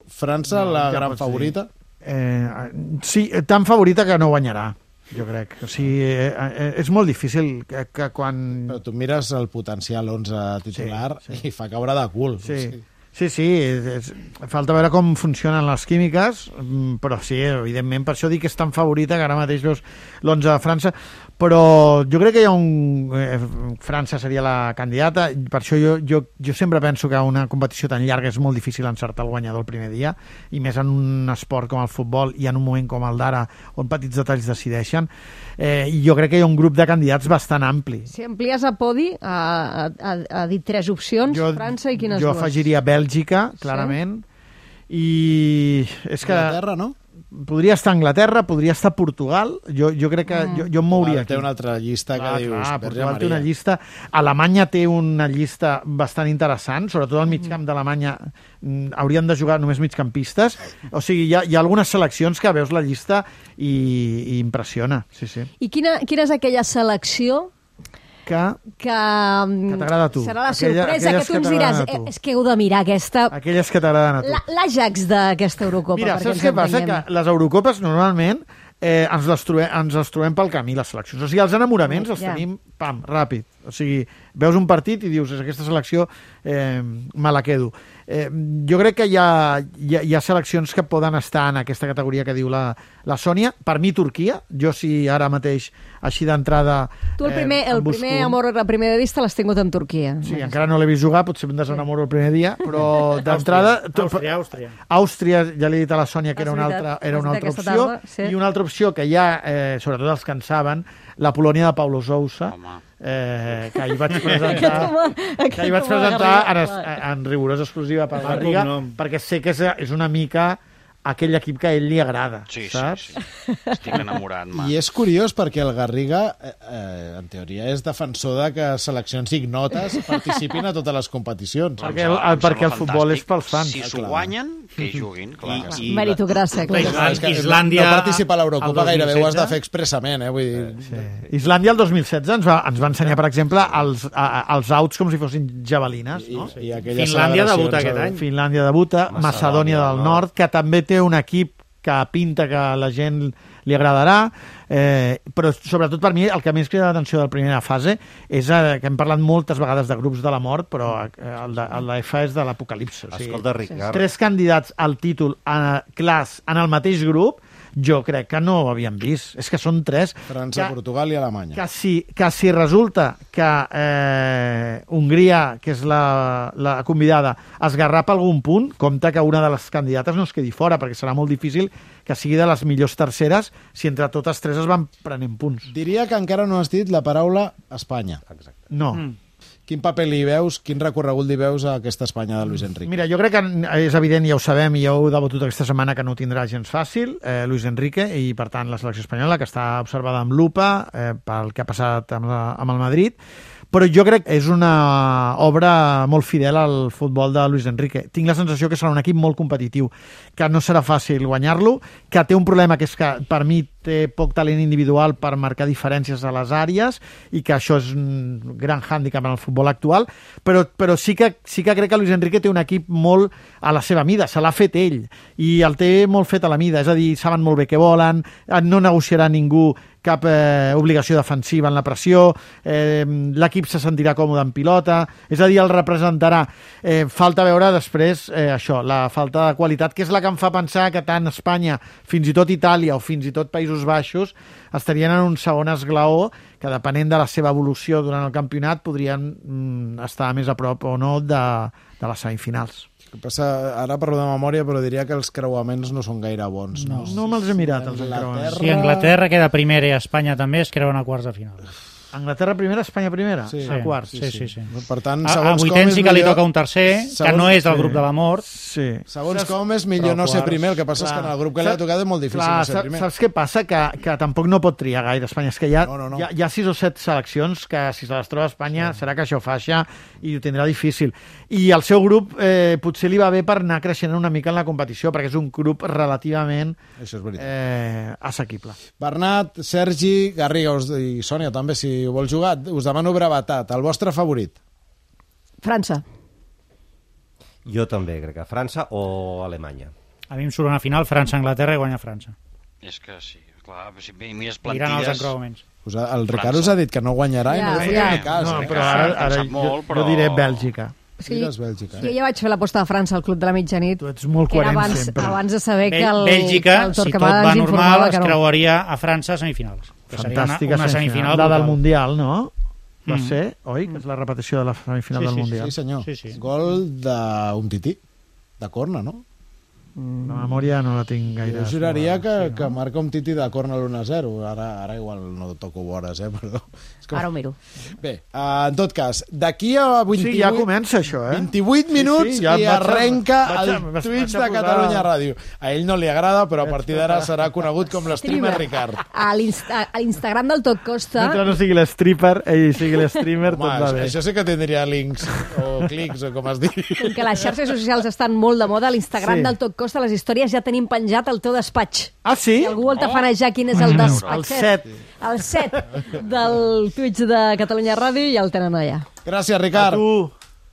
França, la gran favorita? Sí, tan favorita que no guanyarà, jo crec. O sigui, és molt difícil que quan... Però tu mires el potencial 11 titular i fa caure de cul. Sí, falta veure com funcionen les químiques, però sí, evidentment, per això dic que és tan favorita que ara mateix veus l'11 de França, però jo crec que hi ha França seria la candidata, per això jo sempre penso que una competició tan llarga és molt difícil encertar el guanyador el primer dia, i més en un esport com el futbol i en un moment com el d'ara, on petits detalls decideixen, i jo crec que hi ha un grup de candidats bastant ampli. Si amplies a podi, ha dit 3 opcions, França i quines dues? Jo afegiria Bèlgica, clarament, i és que... Anglaterra, no? Podria estar Anglaterra, podria estar Portugal, jo crec que jo em mouria aquí. Té una altra llista que dius... Portugal té una llista, Alemanya té una llista bastant interessant, sobretot al migcamp d'Alemanya haurien de jugar només migcampistes, o sigui, hi ha algunes seleccions que veus la llista i impressiona, sí. I quina és aquella selecció que t'agrada a tu? Serà la sorpresa, que tu ens diràs, és que heu de mirar aquesta... Aquelles que t'agraden a tu. L'Ajax d'aquesta Eurocopa. Mira, saps què passa? Que les Eurocopes normalment ens les trobem pel camí, les seleccions. O sigui, els enamoraments els tenim, pam, ràpid. O sigui, veus un partit i dius, aquesta selecció me la quedo. Jo crec que hi ha seleccions que poden estar en aquesta categoria que diu la Sònia. Per mi, Turquia. Jo, si ara mateix, així d'entrada... Tu el primer amor a primera vista l'has tingut amb Turquia. Sí, encara no l'he vist jugar, potser em desenamoro el primer dia, però d'entrada... Àustria, ja l'he dit a la Sònia que era una altra opció. I una altra opció que hi ha, sobretot els que en saben, la Polònia de Paulo Sousa, que ahir vaig presentar en rigorosa exclusiva per Garriga, perquè sé que és una mica aquell equip que a ell li agrada, saps? Sí. Estic enamorat. I és curiós perquè el Garriga, en teoria, és defensor de que seleccions ignotes participin a totes les competicions. Perquè el futbol és pels fans. Si s'ho guanyen, que hi juguin. Meritocràcia. Islàndia... No participar a l'Eurocopa gairebé ho has de fer expressament. Islàndia el 2016 ens va ensenyar, per exemple, els outs com si fossin javelines. Finlàndia debuta aquest any. Finlàndia debuta, Macedònia del Nord, que també té un equip que pinta que a la gent li agradarà, però sobretot per mi el que més crida l'atenció de la primera fase és que hem parlat moltes vegades de grups de la mort, però el de l'EFA és de l'apocalipsi. Escolta, Ricard. 3 candidats al títol clars en el mateix grup, jo crec que no ho havíem vist. És que són 3. França, Portugal i Alemanya. Que si resulta que Hongria, que és la convidada, esgarrapa algun punt, compte que una de les candidates no es quedi fora, perquè serà molt difícil que sigui de les millors terceres si entre totes 3 es van prenent punts. Diria que encara no has dit la paraula Espanya. Exacte. No. Quin paper li veus, quin recorregut li veus a aquesta Espanya de Luis Enrique? Mira, jo crec que és evident, ja ho sabem, i ja ho he debatut aquesta setmana, que no ho tindrà gens fàcil, Luis Enrique, i per tant la selecció espanyola, que està observada amb lupa pel que ha passat amb el Madrid, però jo crec que és una obra molt fidel al futbol de Luis Enrique. Tinc la sensació que serà un equip molt competitiu, que no serà fàcil guanyar-lo, que té un problema que és que per mi té poc talent individual per marcar diferències a les àrees i que això és un gran hàndicap en el futbol actual, però sí que crec que Luis Enrique té un equip molt a la seva mida, se l'ha fet ell i el té molt fet a la mida, és a dir, saben molt bé què volen, no negociarà ningú cap obligació defensiva en la pressió, l'equip se sentirà còmode en pilota, és a dir, el representarà. Falta veure després això, la falta de qualitat, que és la que em fa pensar que tant Espanya, fins i tot Itàlia o fins i tot Països Baixos estarien en un segon esglaó que, depenent de la seva evolució durant el campionat, podrien estar més a prop o no de les semifinals. Ara parlo de memòria, però diria que els creuaments no són gaire bons. No me'ls he mirat, els creuaments. Si Anglaterra queda primera i Espanya també, es creuen a quarts de final. Anglaterra primera, Espanya primera? Sí. A quarts. Sí. Per tant, a vuitens sí que li toca un tercer, que no és del grup de la mort. Sí. Segons com és millor no ser primer, el que passa és que en el grup que li ha tocat és molt difícil ser primer. Saps què passa? Que tampoc no pot triar gaire Espanya. És que hi ha 6 o 7 seleccions que, si se les troba Espanya, serà que això faixa i ho tindrà difícil. I el seu grup potser li va bé per anar creixent una mica en la competició, perquè és un grup relativament assequible. Bernat, Sergi, Garriga i Sònia també, si ho vols jugar, us demano brevetat. El vostre favorit? França. Jo també crec que França o Alemanya. A mi em surt una final França-Anglaterra i guanya França. És que sí, clar, si mires Miren els plantilles... encreuaments. El Ricard us ha dit que no guanyarà i no li farà cas. No, eh? però ara jo diré Bèlgica. Sí, Mires Bèlgica. jo ja vaig fer l'aposta de França al Club de la Mitjanit. Tu ets molt que era coherent abans, sempre. abans de saber que el Bèlgica, que el si tot Torquemada va ens normal, informava es que no. creuaria a França a semifinals. Que seria Fantàstica una semifinal La del brutal. Mundial, no? Va ser, oi? Que és la repetició de la semifinal del Mundial. Sí, senyor. Sí. Gol d'un tití, de corna, no? La memòria no la tinc gaire. Jo juraria que marca un tití de corna l'1-0. Ara igual no toco vores, però... Ara ho miro. Bé, en tot cas, d'aquí a 28... Sí, ja comença això, 28 minuts Sí, ja i arrenca el vaig Twitch a de posar- Catalunya Ràdio. A ell no li agrada, però a partir d'ara serà conegut com l'streamer Ricard. A l'Instagram del Tot Costa... Mentre no sigui l'stripper, ell sigui l'streamer, tot va bé. Això sí que tindria links o clics o com es digui. Com que les xarxes socials estan molt de moda, a l'Instagram Sí. del Tot Costa, les històries ja tenim penjat el teu despatx. Ah, sí? Si algú vol tafanejar quin és el El despatxet, 7. el 7 del Twitch de Catalunya Ràdio, ja el tenen allà. Gràcies, Ricard. Tu.